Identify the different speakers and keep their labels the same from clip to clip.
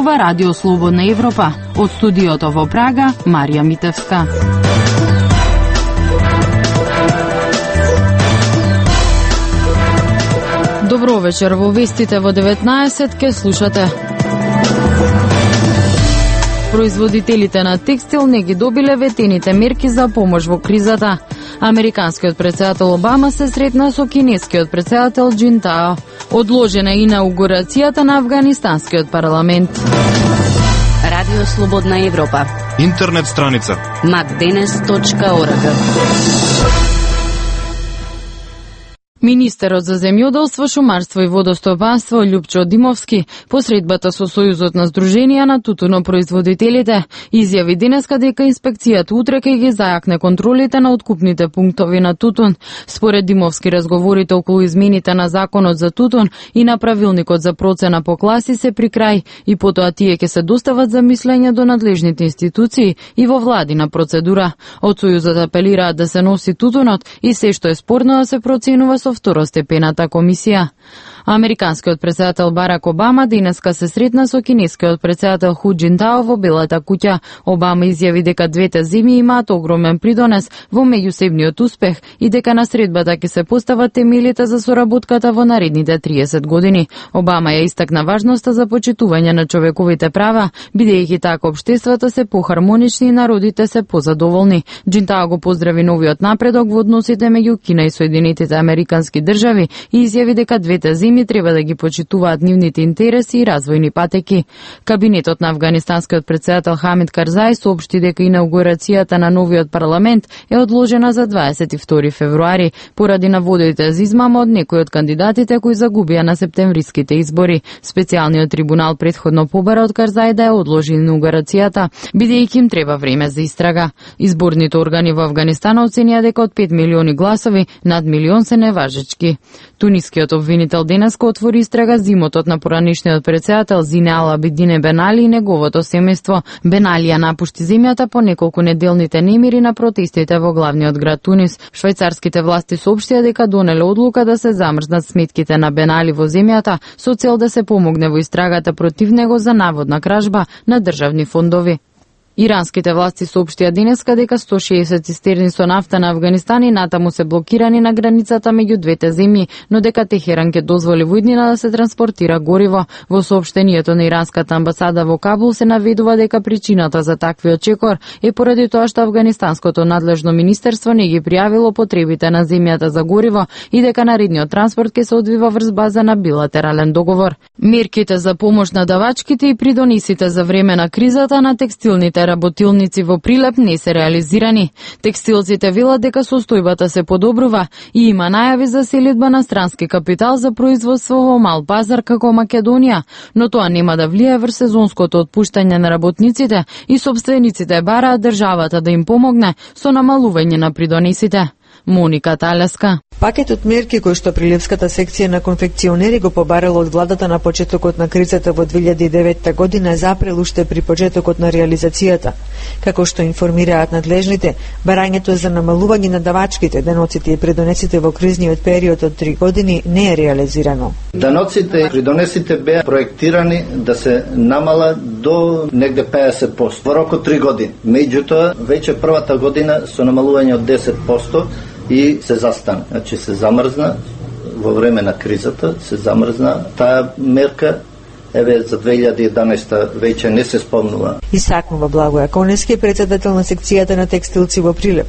Speaker 1: зборува Радио Слободна Европа. Од студиото во Прага, Марија Митевска. Добро вечер, во вестите во 19 ке слушате. Производителите на текстил не ги добиле ветените мерки за помош во кризата. Американскиот претседател Обама се сретна со кинескиот претседател Джинтао. Одложена и инаугурацијата на афганистанскиот парламент.
Speaker 2: Радио Слободна Европа.
Speaker 3: Интернет страница
Speaker 2: macdenes.org.
Speaker 1: Министерот за земјоделство, шумарство и водостопанство Љупчо Димовски по средбата со Сојузот на Сдруженија на тутунопроизводителите изјави денеска дека инспекцијата утре ќе ги зајакне контролите на откупните пунктови на тутун. Според Димовски, разговорите околу измените на законот за тутун и на правилникот за процена по класи се при крај и потоа тие ќе се достават за мислење до надлежните институции и во владина процедура. Од Сојузот апелираат да се носи тутунот и се што е спорно да се проценува со второстепената комисија. Американскиот претседател Барак Обама денеска се сретна со кинескиот претседател Ху Джинтао во Белата куќа. Обама изјави дека двете земји имаат огромен придонес во меѓусебниот успех и дека на средбата ќе се постават темелите за соработката во наредните 30 години. Обама ја истакна важноста за почитување на човековите права, бидејќи така општествата се похармонични и народите се позадоволни. Джинтао го поздрави новиот напредок во односите меѓу Кина и Соединетите Американски држави и изјави дека двете земји треба да ги почитуваат нивните интереси и развојни патеки. Кабинетот на афганистанскиот претседател Хамид Карзај соопшти дека инаугурацијата на новиот парламент е одложена за 22 февруари поради наводите за измама од некои од кандидатите кои загубија на септемвриските избори. Специјалниот трибунал претходно побара од Карзај да ја одложи инаугурацијата, бидејќи им треба време за истрага. Изборните органи во Авганистан оценија дека од 5 милиони гласови, над милион се неважечки. Тунискиот обвинител денеска отвори истрага за имотот на поранишниот претседател Зине Ал Абидине Бен Али и неговото семејство. Бен Али ја напушти земјата по неколку неделните немири на протестите во главниот град Тунис. Швајцарските власти соопштија дека донеле одлука да се замрзнат сметките на Бен Али во земјата со цел да се помогне во истрагата против него за наводна кражба на државни фондови. Иранските власти соопштија денеска дека 160 цистерни со нафта на Авганистан и натаму се блокирани на границата меѓу двете земји, но дека Техеран ќе дозволи во иднина да се транспортира гориво. Во соопштението на иранската амбасада во Кабул се наведува дека причината за таквиот чекор е поради тоа што афганистанското надлежно министерство не ги пријавило потребите на земјата за гориво и дека наредниот транспорт ќе се одвива врз база на билатерален договор. Мерките за помош на давачките и придонесите за време на кризата на текстилните работилници во Прилеп не се реализирани. Текстилците велат дека состојбата се подобрува и има најави за селидба на странски капитал за производство во мал пазар како Македонија, но тоа нема да влијае врз сезонското отпуштање на работниците и сопствениците бараат државата да им помогне со намалување на придонесите. Моника Талеска.
Speaker 4: Пакетот мерки кој што Прилепската секција на конфекционери го побарала од владата на почетокот на кризата во 2009 година е запрел уште при почетокот на реализацијата. Како што информираат надлежните, барањето за намалување на давачките, деноците и придонесите во кризниот период од 3 години не е реализирано.
Speaker 5: Даноците и придонесите беа проектирани да се намала до негде 50% во рок од 3 години. Меѓутоа, веќе првата година со намалување од 10% и се застана. Значи се замрзна во време на кризата, се замрзна таа мерка. Еве за 2011 веќе не се спомнува.
Speaker 4: Исакнува Благоја Конески, претседател на секцијата на текстилци во Прилеп.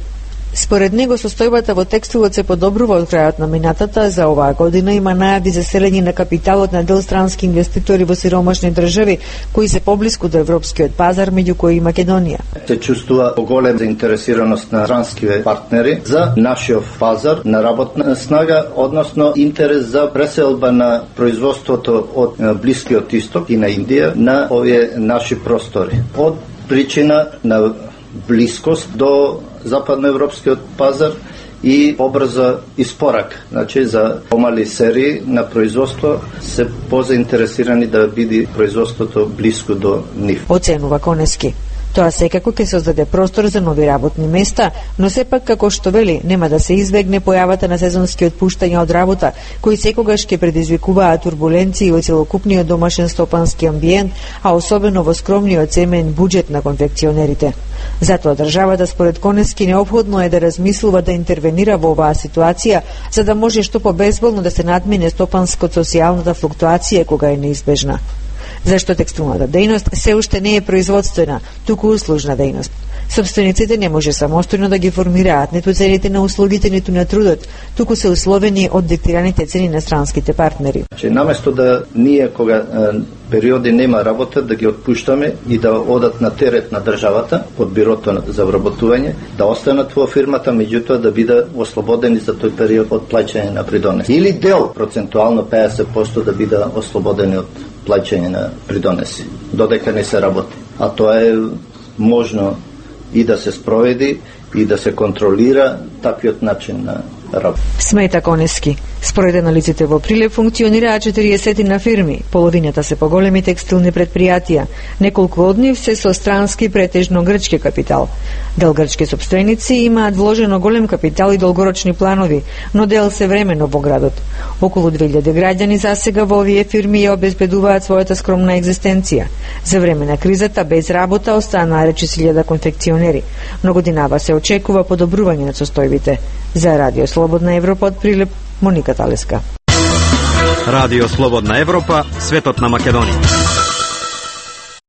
Speaker 4: Според него состојбата во текстилот се подобрува од крајот на минатата, за оваа година има најави за селење на капиталот на дел странски инвеститори во сиромашни држави кои се поблиску до европскиот пазар, меѓу кои и Македонија.
Speaker 5: Се чувствува поголема заинтересираност на странски партнери за нашиот пазар на работна снага, односно интерес за преселба на производството од Блискиот Исток и на Индија на овие наши простори. Од причина на блискост до западноевропскиот пазар и побрза испорак. Значи, за помали серии на производство се позаинтересирани да биде производството блиско до нив.
Speaker 4: Оценува Конески. Тоа секако ќе создаде простор за нови работни места, но сепак, како што вели, нема да се избегне појавата на сезонски отпуштања од работа, кои секогаш ќе предизвикуваат турбуленции во целокупниот домашен стопански амбиент, а особено во скромниот семеен буџет на конфекционерите. Затоа државата според Конески неопходно е да размислува да интервенира во оваа ситуација, за да може што побезболно да се надмине стопанско-социјалната флуктуација кога е неизбежна. Зашто текстилната дејност се уште не е производствена, туку услужна дејност. Сопствениците не може самостојно да ги формираат ниту цените на услугите, ниту на трудот, туку се условени од диктираните цени на странските партнери.
Speaker 5: Наместо да ние кога периоди нема работа да ги отпуштаме и да одат на терет на државата од бирото за вработување, да останат во фирмата, меѓутоа да бидат ослободени за тој период од плаќање на придонеси. Или дел, процентуално 50% да бидат ослободени од плаќање на придонеси, додека не се работи. А тоа е можно и да се спроведи и да се контролира таквиот начин на работа.
Speaker 4: Смета Конески. Според анализите во Прилеп функционираат 40 на фирми, половината се поголеми текстилни предпријатија, неколку од нив се со странски, претежно грчки капитал. Дел грчки сопственици имаат вложено голем капитал и долгорочни планови, но дел се времено во градот. Околу 2000 граѓани засега во овие фирми ја обезбедуваат својата скромна екзистенција. За време на кризата без работа останаа речиси 1000 конфекционери, но годинава се очекува подобрување на состојбите. За Радио Слободна Европа од Прилеп, Моника Талеска.
Speaker 3: Радио Слободна Европа, светот на Македонија.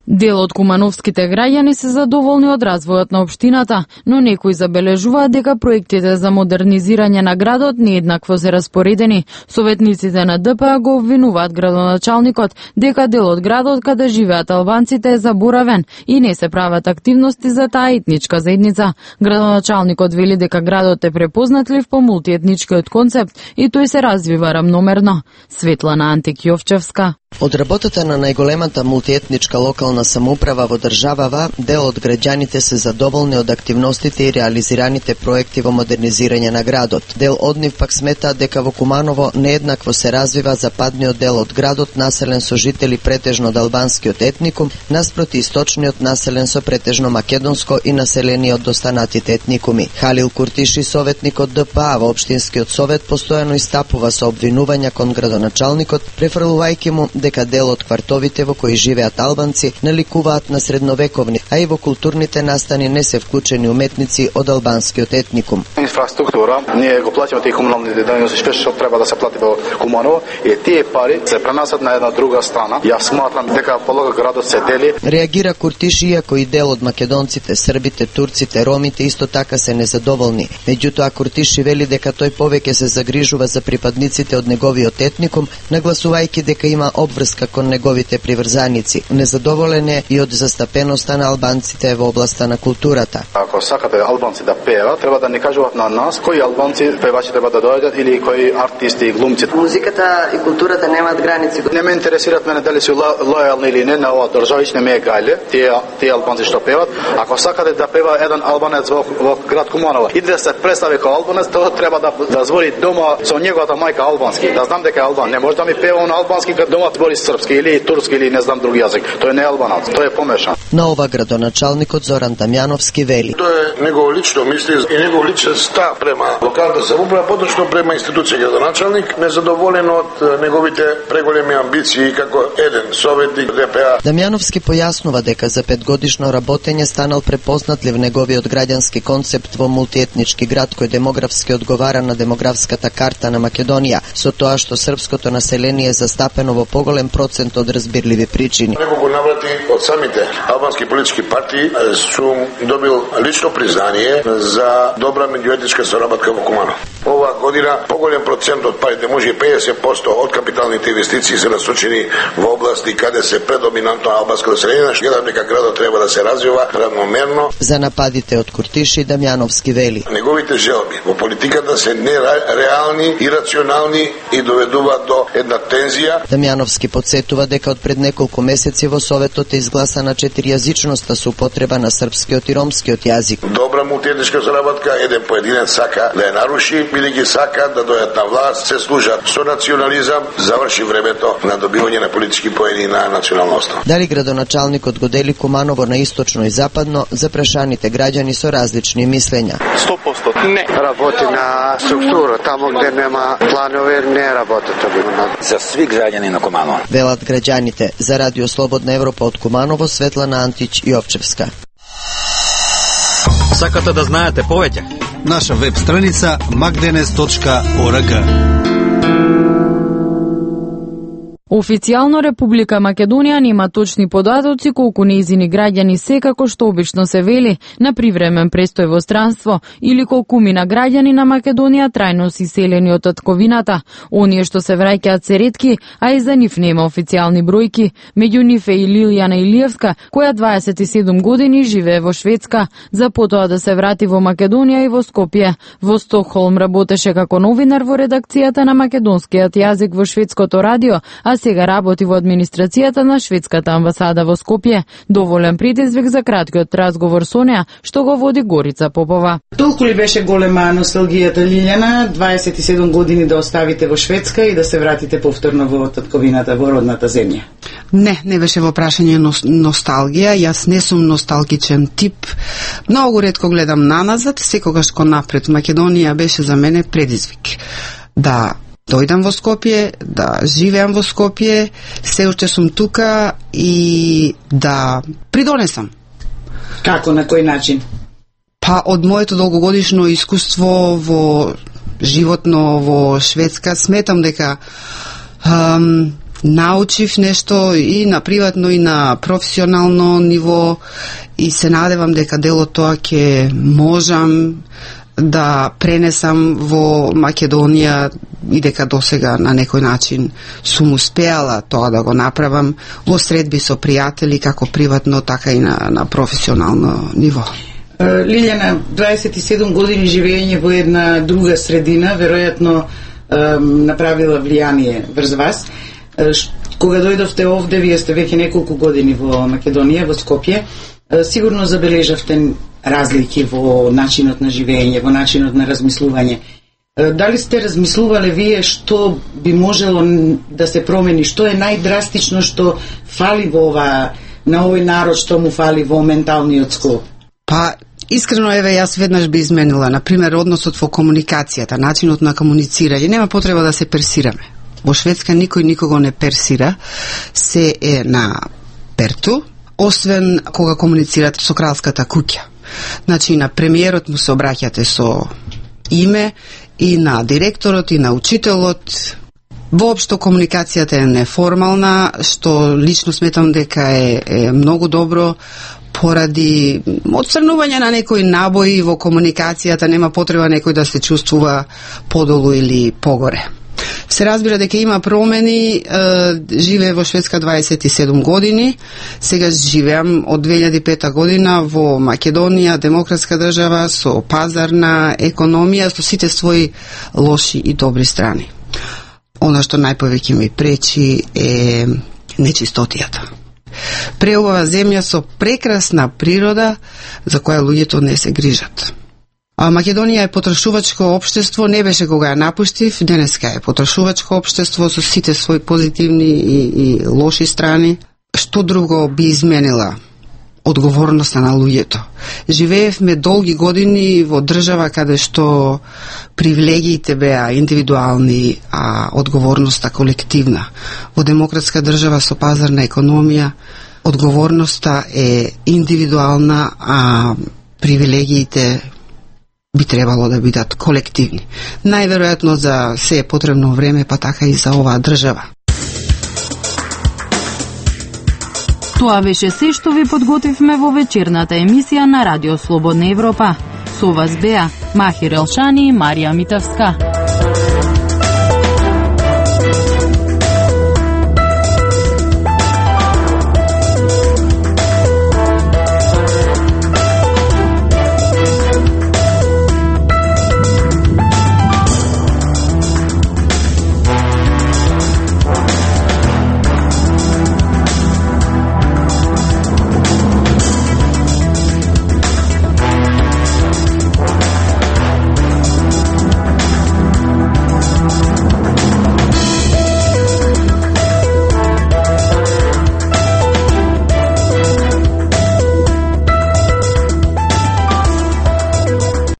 Speaker 1: Дел од кумановските граѓани се задоволни од развојот на општината, но некои забележуваат дека проектите за модернизирање на градот нееднакво се распоредени. Советниците на ДПА го обвинуваат градоначалникот дека дел од градот каде живеат албанците е заборавен и не се прават активности за таа етничка заедница. Градоначалникот вели дека градот е препознатлив по мултиетничкиот концепт и тој се развива рамномерно. Светлана Антик-Јовчевска.
Speaker 6: Од работата на најголемата мултиетничка локална самоуправа во државава, дел од граѓаните се задоволни од активностите и реализираните проекти во модернизирање на градот. Дел од нив пак сметаат дека во Куманово нееднакво се развива западниот дел од градот, населен со жители претежно од албанскиот етникум, наспроти источниот населен со претежно македонско и населени од достанатите етникуми. Халил Куртиши, советник од ДПА во општинскиот совет, постојано истапува со обвинувања кон градоначалникот, префрлувајќи му дека дел од квартовите во кои живеат албанци наликуваат на средновековни, а и во културните настани не се вклучени уметници од албанскиот етникум.
Speaker 7: Инфраструктура, ние го плаќаме тие комунални дејности што треба да се плати во Куманово и тие пари се пренасат на една друга страна. Јас сматрам дека полога градот се дели.
Speaker 6: Реагира Куртиши, иако и дел од македонците, србите, турците, ромите исто така се незадоволни. Меѓутоа Куртиши вели дека тој повеќе се загрижува за припадниците од неговиот етникум, нагласувајќи дека има обврска кон неговите приврзаници. Незадоволен е и од застапеноста на албанците во областа на културата.
Speaker 7: Ако сакате албанци да пееват, треба да не кажуваат на нас кои албанци певачи треба да доаѓат или кои артисти и глумци.
Speaker 8: Музиката и културата немаат граници.
Speaker 7: Не ме интересираат мене дали се лојални или не на оваа држава, не ме е гајле тие албанци што певат. Ако сакате да пева еден албанец во град Куманово и да се представи како албанец, тоа треба да збори дома со неговата мајка албански. Да знам дека е албан. Не може да ми пева на албански кога дома збори српски или турски или не знам други јазик. Тој не е албанац, тој е помешан.
Speaker 6: На ова градоначалникот Зоран Дамјановски вели:
Speaker 9: Тоа е негово лично мисли и негов личен став према локалната самоуправа, поточно према институција градоначалник, незадоволен од неговите преголеми амбиции како еден советник ДПА.
Speaker 6: Дамјановски појаснува дека за 5-годишно работење станал препознатлив неговиот граѓански концепт во мултиетнички град кој демографски одговара на демографската карта на Македонија, со тоа што српското население е застапено во поголем процент од разбирливи причини.
Speaker 9: Неколку наврати од самите албански политички партии сум добил лично признание за добра меѓуетничка соработка во Куманово. Ова година поголем процент од парите, може и 50% од капиталните инвестиции се насочени во области каде се предоминантно албанско население, што гледам дека градот треба да се развива равномерно.
Speaker 6: За нападите од Куртиши Дамјановски вели:
Speaker 9: неговите желби во политиката се нереални, ирационални и доведуваат до една тензија.
Speaker 6: Дамјановски подсетува дека од пред неколку месеци во Советот е изгласана 4јазичноста со употреба на српскиот и ромскиот јазик.
Speaker 9: Добра мултиетничка соработка, еден поединец сака да ја наруши, бидејќи сака да дојдат на власт, се служат со национализам, заврши времето на добивање на политички поени на национална основа.
Speaker 6: Дали градоначалникот го дели Куманово на источно и западно, за прашаните граѓани со различни мислења.
Speaker 10: 100% не.
Speaker 11: Работи на структура, тамо где нема планови, не работи тоа.
Speaker 12: За сви граѓани на Куманово.
Speaker 6: Велат граѓаните. За Радио Слободна Европа од Куманово, Светлана Антич Јовчевска.
Speaker 3: Сакате да знаете повеќе?
Speaker 13: Наша веб страница magdenes.org.
Speaker 1: Официјално Република Македонија нема точни податоци колку нејзини граѓани секако што обично се вели на привремен престој во странство или колку мина граѓани на Македонија трајно си селени од татковината. Оние што се враќаат се ретки, а и за нив нема официјални бројки. Меѓу нив е и Лилијана Илиевска, која 27 години живее во Шведска, за потоа да се врати во Македонија и во Скопје. Во Стокхолм работеше како новинар во редакцијата на македонскиот јазик во шведското радио, а сега работи во администрацијата на шведската амбасада во Скопје. Доволен предизвик за краткиот разговор со неа, што го води Горица Попова.
Speaker 14: Толку ли беше голема носталгијата, Лилјана, 27 години да оставите во Шведска и да се вратите повторно во татковината, во родната земја?
Speaker 15: Не беше во прашање носталгија, јас не сум носталгичен тип. Многу ретко гледам наназад, секогаш кон напред. Македонија беше за мене предизвик. Да дојдам во Скопје, да живеам во Скопје, се уште сум тука и да придонесам.
Speaker 14: Како, на кој начин?
Speaker 15: Па од моето долгогодишно искуство во животно во Шведска, сметам дека научив нешто и на приватно и на професионално ниво и се надевам дека дел од тоа ќе можам да пренесам во Македонија и дека досега на некој начин сум успеала тоа да го направам во средби со пријатели, како приватно, така и на професионално ниво.
Speaker 14: Лилјана, 27 години живење во една друга средина, веројатно направила влијание врз вас. Кога дојдовте овде, вие сте веќе неколку години во Македонија, во Скопје, сигурно забележавте разлики во начинот на живење, во начинот на размислување. Дали сте размислувале вие што би можело да се промени, што е најдрастично што фали во на овој народ, што му фали во менталниот склоп?
Speaker 15: Па, искрено, јас веднаш би изменила, например, односот во комуникацијата, начинот на комуницирање. Нема потреба да се персираме. Во Шведска никој никого не персира, се е на перту, освен кога комуницирате со кралската куќа. Значи, на премиерот му се обраќате со име, и на директорот, и на учителот. Воопшто комуникацијата е неформална, што лично сметам дека е многу добро, поради отстрнување на некои набои во комуникацијата, нема потреба некој да се чувствува подолу или погоре. Се разбира дека има промени, живее во Шведска 27 години, сега живеам од 2005 година во Македонија, демократска држава, со пазарна економија, со сите своји лоши и добри страни. Она што најповеќе ми пречи е нечистотијата. Преубава земја со прекрасна природа, за која луѓето не се грижат. А Македонија е потрошувачко општество, не беше кога ја напуштив, денеска е потрошувачко општество со сите своји позитивни и лоши страни. Што друго би изменила? Одговорноста на луѓето. Живеевме долги години во држава каде што привилегиите беа индивидуални, а одговорноста колективна. Во демократска држава со пазарна економија, одговорноста е индивидуална, а привилегиите би требало да бидат колективни. Најверојатно за се е потребно време, па така и за оваа држава.
Speaker 1: Тоа беше се што ви подготвивме во вечерната емисија на Радио Слободна Европа. Со вас беа Махир Елшани и Марија Митавска.